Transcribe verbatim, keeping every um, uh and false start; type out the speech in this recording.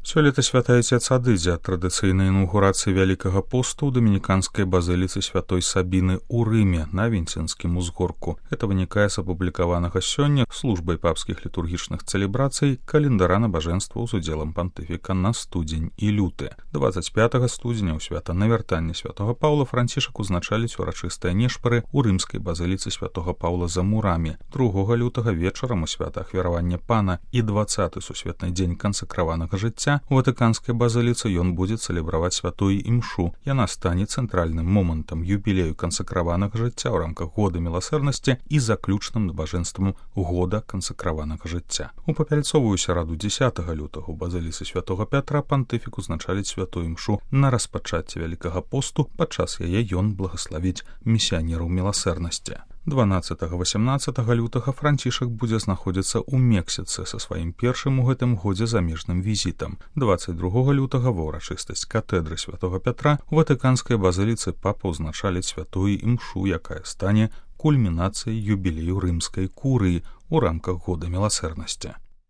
Сёлета святы Отец адыдзе ад традыцыйнай інаўгурацыі Вялікага посту ў дамініканскай базыліцы святой Сабіны ў Рыме на Вінцэнскім узгорку. Это вынікае з апублікаванага сёння службай папскіх літургічных цэлебрацый календара набажэнстваў з удзелам пантыфіка на студзень і люты. дваццаць пятага студзеня ў свята навяртання святога Паўла Францішак узначаліць урачыстыя нешпары ў рымскай базыліцы святога Паўла за мурамі. другога лютага вечарам у свята ахвяравання Пана і дваццаты сусветны дзень кансакраванага жыцця у ватыканскай базыліцы ён будзе цэлебраваць святую імшу. Яна стане цэнтральным момантам юбілею кансакраванага жыцця ў рамках года міласэрнасці і заключным набажэнствам года кансакраванага жыцця. У папяльцовую сераду дзесятага лютага ў базыліцы святога Пятра пантыфік узначаліць святую імшу на распачацце Вялікага посту, падчас яе ён благаславіць місіянераў міласэрнасці. дванаццатага-васямнаццатага лютага Францішак будзе знаходзіцца ў Мексіцы са сваім першым у гэтым годзе замежным візітам. дваццаць другога лютага ва ўрачыстасць катедры святога Пятра у ватыканскай базыліцы папа ўзначаліць святую імшу, якая стане кульмінацыяй юбілею рымскай курыі ў рамках года міласэрнасці.